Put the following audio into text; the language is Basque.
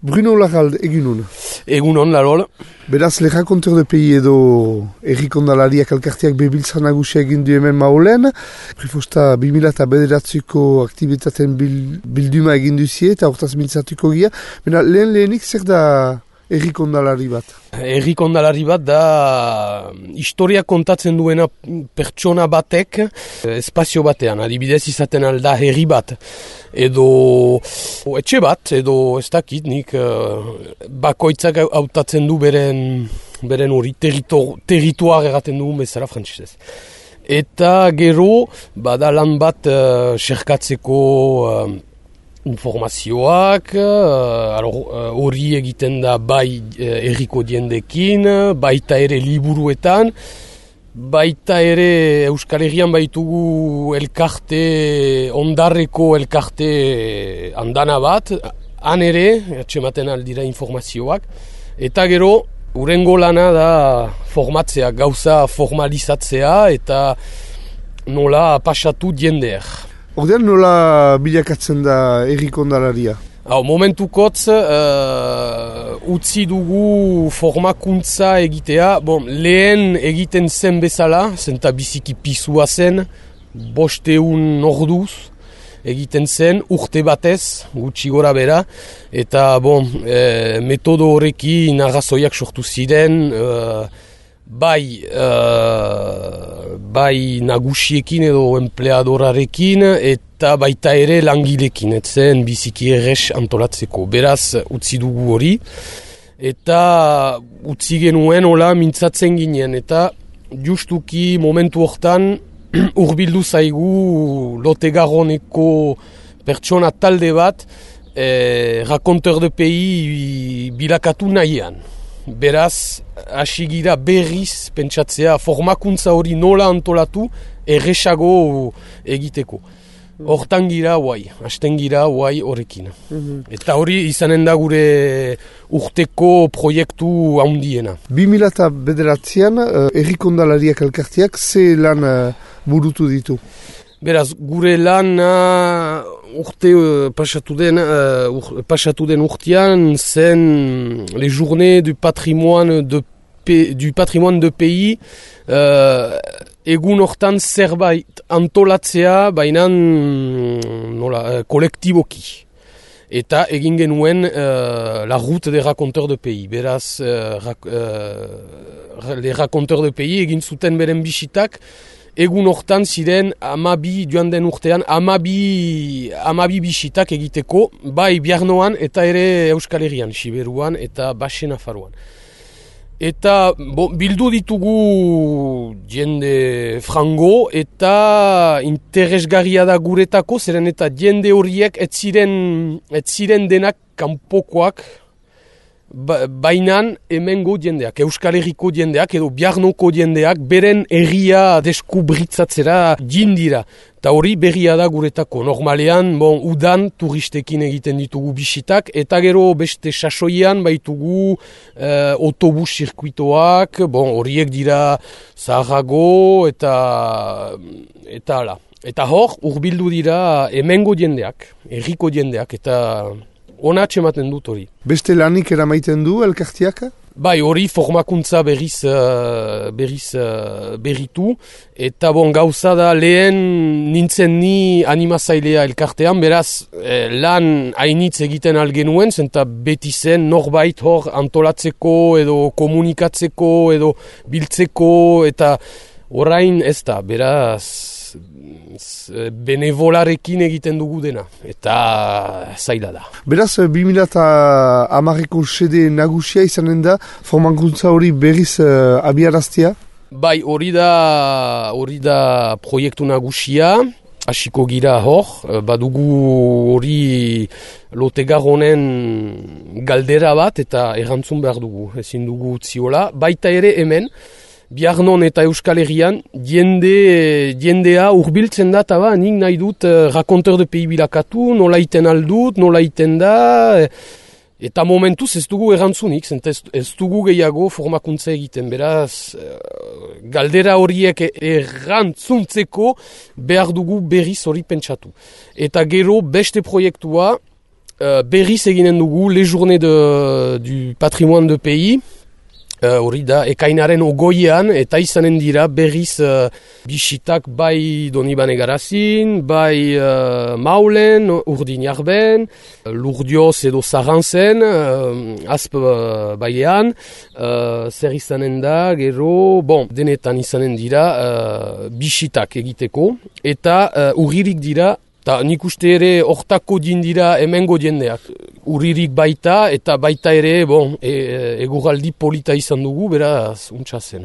Bruno Larralde, egunon. Egunon, Larol. Beraz, Le Raconteur de Pays edo errikondalariak elkarteak bebiltza nagusia egin du hemen maulen. Prefosta 2009ko aktibitaten bilduma egin duzie eta hortaz mintzatuko gia. Bena, lehenik zer da errikondalari bat? Errikondalari bat da historia kontatzen duena pertsona batek espazio batean. Adibidez izaten alda herri bat. Edo etxe bat, edo ez dakit, nik bakoitzak hautatzen du beren hori territoar erraten dugun bezala frantsesez. Eta gero, bada lan bat xerkatzeko informazioak, hori egiten da bai herriko diendekin, baita ere liburuetan, baita ere Euskal Herrian baitugu elkarte, ondarreko elkarte andana bat, han ere, atxematen aldira informazioak, eta gero, urengo lana da formatzea, gauza formalizatzea, eta nola pasatu diendeer. Ordean nola bilakatzen da errikondalaria? Momentukotz utzi dugu formakuntza egitea, lehen egiten zen bezala, zenta biziki pisua zen, 500 orduz egiten zen, urte batez, gutxi gora bera, eta metodo horrekin arrazoiak sortu ziren, bai nagusiekin edo empleadorarekin eta baita ere langilekin, etzen biziki errez antolatzeko. Beraz, utzi dugu hori, eta utzi genuen hola mintzatzen ginen, eta justuki momentu hortan hurbildu zaigu Lotegaroneko pertsona talde bat Raconteur de Pays bilakatu nahian. Beraz, hasi gira berriz pentsatzea formakuntza hori nola antolatu erresago egiteko. Hortan gira hasten gira horrekin. Eta hori izanen da gure urteko proiektu handiena. 2009an errikondalariak elkarteak ze lan burutu ditu? Beraz, gure lan urte pasatu den urtean zen les journées du patrimoine de pays egun hortan zerbait antolatzea bainan kolektiboki. Eta egin genuen la route des raconteurs de pays. Beraz, les raconteurs de pays egin zuten beren bisitak. Egun hortan ziren joan den urtean amabi bisitak egiteko, bai Biarnoan eta ere Euskal Herrian, Siberuan eta Baxe Nafarroan. Eta bildu ditugu jende frango eta interesgarria da guretako, zeren eta jende horiek ez ziren denak kanpokoak, bainan hemengo jendeak, Euskal Herriko jendeak edo Biarnoko jendeak beren herria deskubritzatzera jindira. Eta hori berria da guretako. Normalean, udan turistekin egiten ditugu bisitak, eta gero beste sasoian baitugu autobus zirkuitoak, horiek dira zaharrago eta ala. Eta hor, urbildu dira hemengo jendeak, herriko jendeak, eta ona atxematen dut hori. Beste lanik eramaiten du elkartiak? Bai, hori formakuntza berriz berritu. Eta gauza da lehen nintzen ni animazailea elkartean, beraz lan hainitz egiten algenuen, zenta beti zen norbait hor antolatzeko edo komunikatzeko edo biltzeko, eta orain ez da, beraz benevolarekin egiten dugu dena, eta zaila da. Beraz, 2010ko sede nagusia izanen da, formakuntza hori berriz abiaraztea? Bai, hori da proiektu nagusia, hasiko gira hor, badugu hori Lotegaronen galdera bat, eta erantzun behar dugu, ezin dugu utziola, baita ere hemen, Biarnon eta Euskal Herrian jendea urbiltzen da, eta nik nahi dut Raconteur de Pays bilakatu, nola iten aldut, nola iten da, eta momentuz ez dugu erantzunik, ez dugu gehiago formakuntza egiten, beraz galdera horiek erantzuntzeko behar dugu berriz hori pentsatu. Eta gero beste proiektua, berriz eginen dugu Les Journées du Patrimoine de Pays, hori da, ekainaren ogoian, eta izanen dira berriz bisitak bai Donibane Garazin, bai Maulen, Urdinarben, Lurdioz edo Zarantzen, Azp bailean, zer izanen da, gero, denetan izanen dira bisitak egiteko, eta urririk dira, eta nik uste ere hortako dira hemengo jendeak. Urririk baita eta baita ere eguraldi polita izan dugu, beraz, untsa zen.